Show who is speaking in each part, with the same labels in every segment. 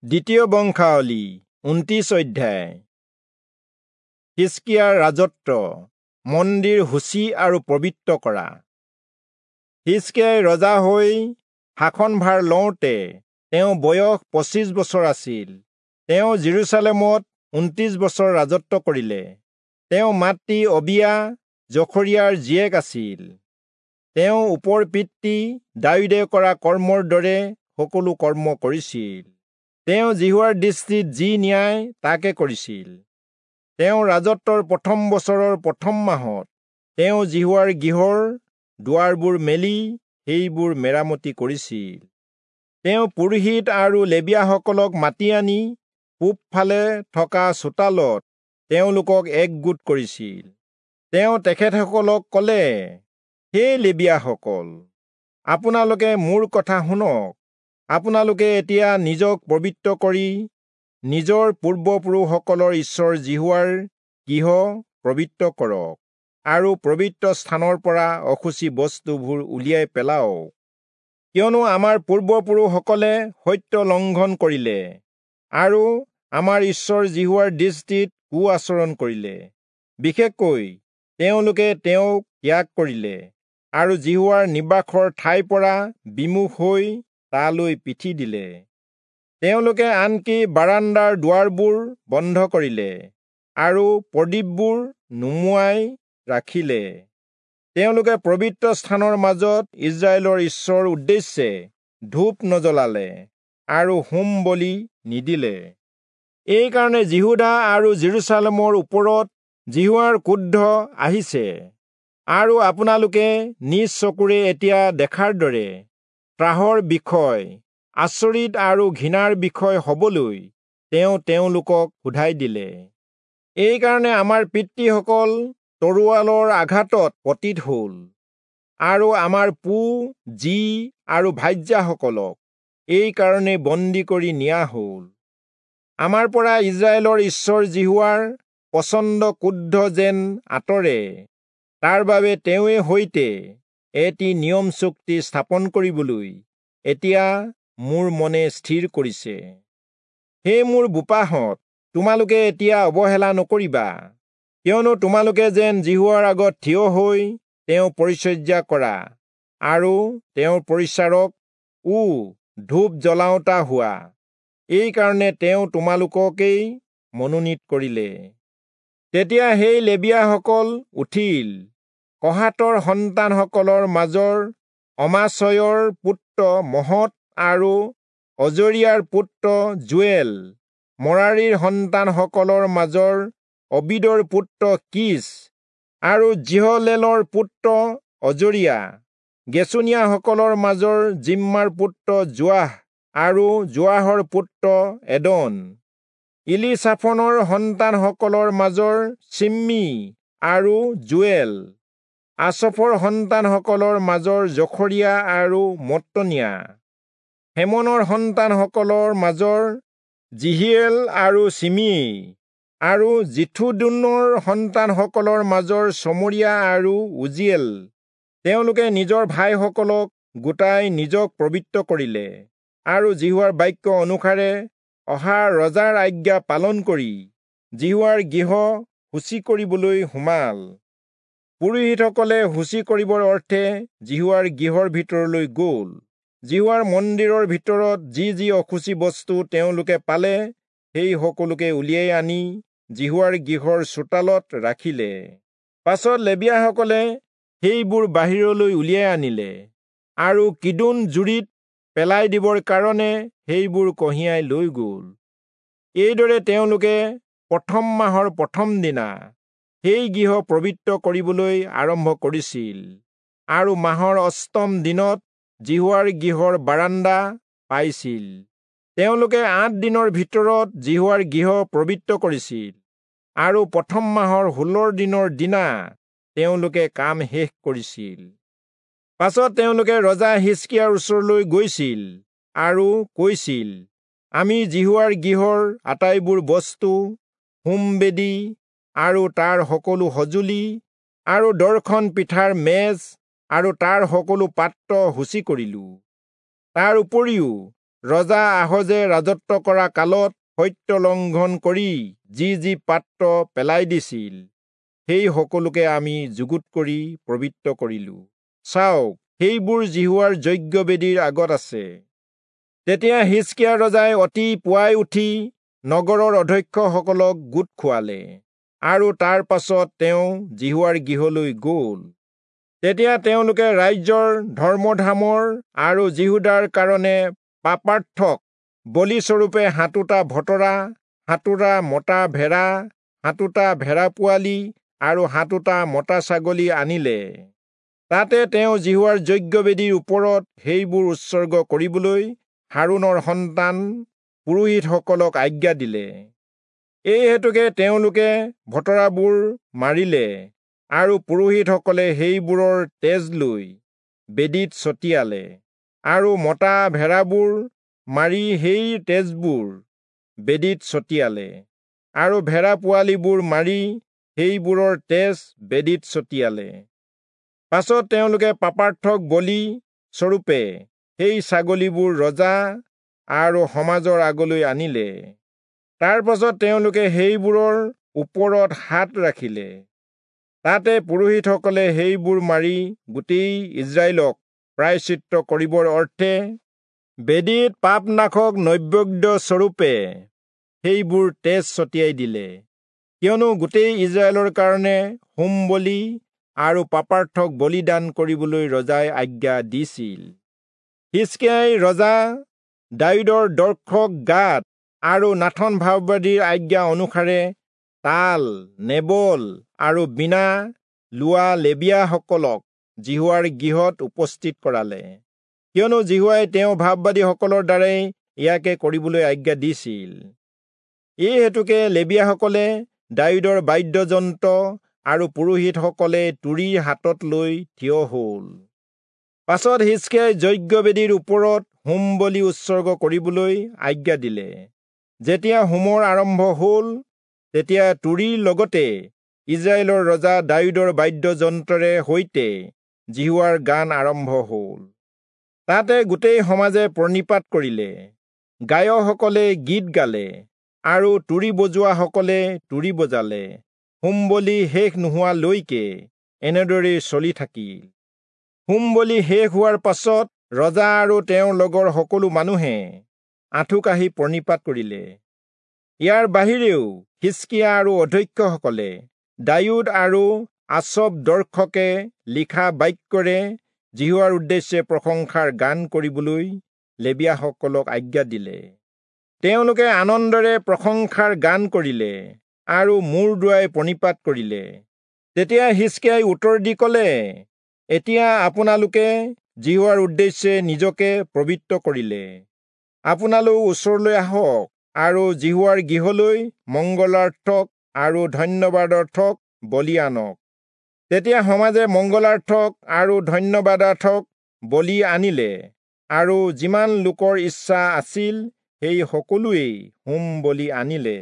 Speaker 1: দ্বিতীয় বংশাৱলী 29 অধ্যায়। হিষ্কিয়াৰ ৰাজত্ব, মন্দিৰ শুচি আৰু পবিত্ৰ কৰা। হিষ্কিয়াই ৰজা হৈ শাসনভাৰ লওঁতে তেওঁ বয়স 25 বছৰ আছিল। তেওঁ যিৰূচালেমত 29 বছৰ ৰাজত্ব কৰিলে। তেওঁ মাতৃ অবিয়া জখৰিয়াৰ জীয়েক আছিল। তেওঁ ওপৰ পিতৃ দায়ূদে কৰা কৰ্মৰ দৰে সকলো কৰ্ম কৰিছিল। তেওঁ যিহোৱাৰ দৃষ্টিত যি ন্যায় তাকে কৰিছিল। তেওঁ ৰাজত্বৰ প্ৰথম বছৰৰ প্ৰথম মাহত তেওঁ যিহোৱাৰ গৃহৰ দুৱাৰবোৰ মেলি সেইবোৰ মেৰামতি কৰিছিল। তেওঁ পুৰোহিত আৰু লেবীয়াসকলক মাতি আনি পূবফালে থকা চোতালত তেওঁলোকক একগোট কৰিছিল। তেওঁ তেখেতসকলক ক'লে, হে লেবীয়াসকল, আপোনালোকে মোৰ কথা শুনক। আপোনালোকে এতিয়া নিজক পবিত্ৰ কৰি নিজৰ পূৰ্বপুৰুষসকলৰ ঈশ্বৰ যিহোৱাৰ গৃহ পবিত্ৰ কৰক আৰু পবিত্ৰ স্থানৰ পৰা অশুচি বস্তুবোৰ উলিয়াই পেলাওক। কিয়নো আমাৰ পূৰ্বপুৰুষসকলে সত্য লংঘন কৰিলে আৰু আমাৰ ঈশ্বৰ যিহোৱাৰ দৃষ্টিত কু আচৰণ কৰিলে। বিশেষকৈ তেওঁলোকে তেওঁক ত্যাগ কৰিলে আৰু যিহোৱাৰ নিবাসৰ ঠাইৰ পৰা বিমুখ হৈ তালৈ পিঠি দিলে। তেওঁলোকে আনকি বাৰাণ্ডাৰ দুৱাৰবোৰ বন্ধ কৰিলে আৰু প্ৰদীপবোৰ নুমুৱাই ৰাখিলে। তেওঁলোকে পবিত্ৰ স্থানৰ মাজত ইস্ৰায়েলৰ ঈশ্বৰৰ উদ্দেশ্যে ধূপ নজ্বলালে আৰু হোম বলি নিদিলে। এইকাৰণে যিহূদা আৰু যিৰূচালেমৰ ওপৰত যিহোৱাৰ ক্ৰোধ আহিছে আৰু আপোনালোকে নিজ চকুৰে এতিয়া দেখাৰ দৰে ত্ৰাসৰ বিষয়, আচৰিত আৰু ঘৃণাৰ বিষয় হবলৈ তেওঁ তেওঁলোকক সোধাই দিলে। এইকাৰণে আমাৰ পিতৃসকল তৰোৱালৰ আঘাতত পতিত হল আৰু আমাৰ পো, জী আৰু ভাৰ্যাসকলক এইকাৰণে বন্দী কৰি নিয়া হল। আমাৰ পৰা ইস্ৰায়েলৰ ঈশ্বৰ যিহোৱাৰ প্ৰচণ্ড ক্ৰোধ যেন আঁতৰে, তাৰ বাবে তেওঁৱে সৈতে এটি নিয়ম চুক্তি স্থাপন কৰিবলৈ এতিয়া মোৰ মনে স্থিৰ কৰিছে। হে মোৰ বোপাহঁত, তোমালোকে এতিয়া অৱহেলা নকৰিবা, কিয়নো তোমালোকে যেন যিহোৱাৰ আগত থিয় হৈ তেওঁ পৰিচৰ্যা কৰা আৰু তেওঁৰ পৰিচাৰক ও ধূপ জ্বলাওঁতা হোৱা, এইকাৰণে তেওঁ তোমালোককেই মনোনীত কৰিলে। তেতিয়া সেই লেবীয়াসকল উঠিল। কহাতৰ সন্তানসকলৰ মাজৰ অমাচয়ৰ পুত্ৰ মহৎ আৰু অজৰিয়াৰ পুত্ৰ যোৱেল, মৰাৰীৰ সন্তানসকলৰ মাজৰ অবিদৰ পুত্ৰ কীচ আৰু যিহলেলৰ পুত্ৰ অজৰিয়া, গেচোনীয়াসকলৰ মাজৰ জিম্মাৰ পুত্ৰ যোৱাহ আৰু যোৱাহৰ পুত্ৰ এদন, ইলিচাফনৰ সন্তানসকলৰ মাজৰ চিম্মী আৰু যোৱেল, আচফৰ সন্তানসকলৰ মাজৰ জখৰিয়া আৰু মত্তনিয়া, হেমনৰ সন্তানসকলৰ মাজৰ যিহিয়েল আৰু চিমি আৰু যিথুদূনৰ সন্তানসকলৰ মাজৰ চমৰীয়া আৰু উজিয়েল। তেওঁলোকে নিজৰ ভাইসকলক গোটাই নিজক পবিত্ৰ কৰিলে আৰু যিহোৱাৰ বাক্য অনুসাৰে অহা ৰজাৰ আজ্ঞা পালন কৰি যিহোৱাৰ গৃহ শুচি কৰিবলৈ সোমাল। পুৰোহিতসকলে শুচি কৰিবৰ অৰ্থে যিহোৱাৰ গৃহৰ ভিতৰলৈ গ'ল। যিহোৱাৰ মন্দিৰৰ ভিতৰত যি যি অশুচি বস্তু তেওঁলোকে পালে, সেই সকলোকে উলিয়াই আনি যিহোৱাৰ গৃহৰ চোতালত ৰাখিলে। পাছত লেবীয়াসকলে সেইবোৰ বাহিৰলৈ উলিয়াই আনিলে আৰু কিদোন জুৰিত পেলাই দিবৰ কাৰণে সেইবোৰ কঢ়িয়াই লৈ গ'ল। এইদৰে তেওঁলোকে প্ৰথম মাহৰ প্ৰথম দিনা সেই গৃহ পবিত্ৰ কৰিবলৈ আৰম্ভ কৰিছিল আৰু মাহৰ অষ্টম দিনত যিহোৱাৰ গৃহৰ বাৰাণ্ডা পাইছিল। তেওঁলোকে 8 দিনৰ ভিতৰত যিহোৱাৰ গৃহ পবিত্ৰ কৰিছিল আৰু প্ৰথম মাহৰ 16 দিনৰ দিনা তেওঁলোকে কাম শেষ কৰিছিল। পাছত তেওঁলোকে ৰজা হিষ্কিয়াৰ ওচৰলৈ গৈছিল আৰু কৈছিল, আমি যিহোৱাৰ গৃহৰ আটাইবোৰ বস্তু, হোমবেদী আৰু তাৰ সকলো সঁজুলি আৰু দৰ্শন পিঠাৰ মেজ আৰু তাৰ সকলো পাত্ৰ শুচি কৰিলো। তাৰ উপৰিও ৰজা আহজে ৰাজত্ব কৰা কালত সত্য লংঘন কৰি যি যি পাত্ৰ পেলাই দিছিল, সেই সকলোকে আমি যুগুত কৰি পবিত্ৰ কৰিলো। চাওক, সেইবোৰ যিহোৱাৰ যজ্ঞবেদীৰ আগত আছে। তেতিয়া হিজকিয়া ৰজাই অতি পুৱাই উঠি নগৰৰ অধ্যক্ষসকলক গোট খুৱালে, আৰু তাৰ পাছত তেওঁ যিহোৱাৰ গৃহলৈ গ'ল। তেতিয়া তেওঁলোকে ৰাজ্যৰ ধৰ্মধামৰ আৰু যিহূদাৰ কাৰণে পাপাৰ্থক বলিস্বৰূপে 7টা ভতৰা, 7টা মতা ভেড়া, 7টা ভেড়া পোৱালি আৰু 7টা মতা ছাগলী আনিলে। তাতে তেওঁ যিহোৱাৰ যজ্ঞবেদীৰ ওপৰত সেইবোৰ উৎসৰ্গ কৰিবলৈ হাৰোণৰ সন্তান পুৰোহিতসকলক আজ্ঞা দিলে। এই হেতুকে তেওঁলোকে ভতৰাবোৰ মাৰিলে আৰু পুৰোহিতসকলে সেইবোৰৰ তেজ লৈ বেদীত ছটিয়ালে, আৰু মতা ভেড়াবোৰ মাৰি সেই তেজবোৰ বেদীত ছটিয়ালে, আৰু ভেড়া পোৱালিবোৰ মাৰি সেইবোৰৰ তেজ বেদীত ছটিয়ালে। পাছত তেওঁলোকে পাপাৰ্থক বলি স্বৰূপে সেই ছাগলীবোৰ ৰজা আৰু সমাজৰ আগলৈ আনিলে। তাৰ পাছত তেওঁলোকে সেইবোৰৰ ওপৰত হাত ৰাখিলে। তাতে পুৰোহিতসকলে সেইবোৰ মাৰি গোটেই ইস্ৰায়েলক প্ৰায়শ্চিত্ত কৰিবৰ অৰ্থে বেদীত পাপনাশক নৈবেদ্য স্বৰূপে সেইবোৰ তেজ ছটিয়াই দিলে, কিয়নো গোটেই ইস্ৰায়েলৰ কাৰণে হোম বলি আৰু পাপাৰ্থক বলিদান কৰিবলৈ ৰজাই আজ্ঞা দিছিল। হিজকিয়াই ৰজা দায়ূদৰ দৰ্শক গাদ আৰু নাথন ভাববাদীৰ আজ্ঞা অনুসাৰে তাল, নেবল আৰু বীণা লোৱা লেবীয়াসকলক যিহোৱাৰ গৃহত উপস্থিত কৰালে, কিয়নো যিহোৱাই তেওঁ ভাববাদীসকলৰ দ্বাৰাই ইয়াকে কৰিবলৈ আজ্ঞা দিছিল। এই হেতুকে লেবীয়াসকলে দায়ূদৰ বাদ্যযন্ত্ৰ আৰু পুৰোহিতসকলে তুৰী হাতত লৈ থিয় হ'ল। পাছত হিজকিয়াই যজ্ঞবেদীৰ ওপৰত হোম বলি উৎসৰ্গ কৰিবলৈ আজ্ঞা দিলে। যেতিয়া হোমৰ আৰম্ভ হ'ল, তেতিয়া তুৰীৰ লগতে ইস্ৰায়েলৰ ৰজা দায়ূদৰ বাদ্যযন্ত্ৰৰে সৈতে যিহোৱাৰ গান আৰম্ভ হ'ল। তাতে গোটেই সমাজে প্ৰণিপাত কৰিলে, গায়কসকলে গীত গালে আৰু তুৰী বজোৱাসকলে তুৰী বজালে। হোম বলি শেষ নোহোৱালৈকে এনেদৰেই চলি থাকিল। হোম বলি শেষ হোৱাৰ পাছত ৰজা আৰু তেওঁৰ লগৰ সকলো মানুহে আঁঠু কাঢ়ি প্ৰণিপাত কৰিলে। ইয়াৰ বাহিৰেও হিজকিয়া আৰু অধ্যক্ষসকলে দায়ূদ আৰু আচব দৰ্শকে লিখা বাক্যৰে যিহোৱাৰ উদ্দেশ্যে প্ৰশংসাৰ গান কৰিবলৈ লেবীয়াসকলক আজ্ঞা দিলে। তেওঁলোকে আনন্দেৰে প্ৰশংসাৰ গান কৰিলে আৰু মূৰ দোৱাই প্ৰণিপাত কৰিলে। তেতিয়া হিজকিয়াই উত্তৰ দি ক'লে, এতিয়া আপোনালোকে যিহোৱাৰ উদ্দেশ্যে নিজকে পবিত্ৰ কৰিলে। আপোনালোক ওচৰলৈ আহক আৰু যিহোৱাৰ গৃহলৈ মংগলাৰ্থক আৰু ধন্যবাদাৰ্থক বলি আনক। তেতিয়া সমাজে মংগলাৰ্থক আৰু ধন্যবাদাৰ্থক বলি আনিলে, আৰু যিমান লোকৰ ইচ্ছা আছিল সেই সকলোৱেই হোম বলি আনিলে।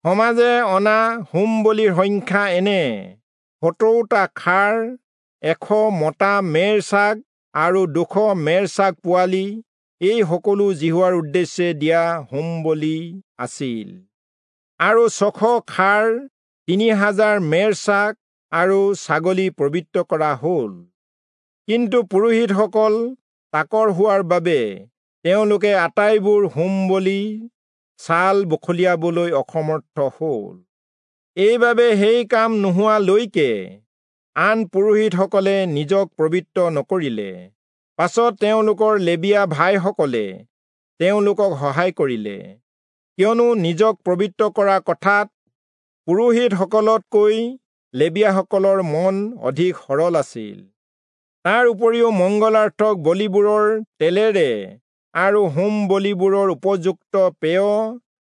Speaker 1: সমাজে অনা হোম বলিৰ সংখ্যা এনে: 70টা খাৰ, 100 মতা মেৰ ছাগ আৰু 200 মেৰ ছাগ পোৱালি, এই সকলো যিহোৱাৰ উদ্দেশ্যে দিয়া হোম বলি আছিল। আৰু 600 খাৰ, 3000 মেৰ ছাগ আৰু ছাগলী পবিত্ৰ কৰা হ'ল। কিন্তু পুৰোহিতসকল তাকৰ হোৱাৰ বাবে তেওঁলোকে আটাইবোৰ হোম বলি ছাল বখলিয়াবলৈ অসমৰ্থ হ'ল। এইবাবে সেই কাম নোহোৱালৈকে আন পুৰোহিতসকলে নিজক পবিত্ৰ নকৰিলে। পাছত তেওঁলোকৰ লেবীয়া ভাইসকলে তেওঁলোকক সহায় কৰিলে, কিয়নো নিজক পবিত্ৰ কৰা কথাত পুৰোহিতসকলতকৈ লেবীয়াসকলৰ মন অধিক সৰল আছিল। তাৰ উপৰিও মংগলাৰ্থক বলিবোৰৰ তেলেৰে আৰু হোম বলিবোৰৰ উপযুক্ত পেয়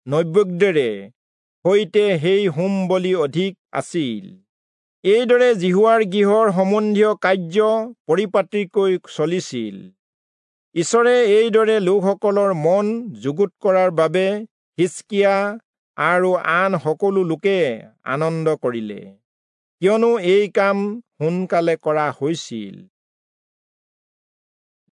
Speaker 1: নৈবেদ্যেৰে সৈতে সেই হোম বলি অধিক আছিল। এইদৰে যিহোৱাৰ গৃহৰ সম্বন্ধীয় কাৰ্য পৰিপাটিকৈ চলিছিল। ঈশ্বৰে এইদৰে লোকসকলৰ মন যুগুত কৰাৰ বাবে হিজকিয়া আৰু আন সকলো লোকে আনন্দ কৰিলে, কিয়নো এই কাম সোনকালে কৰা হৈছিল।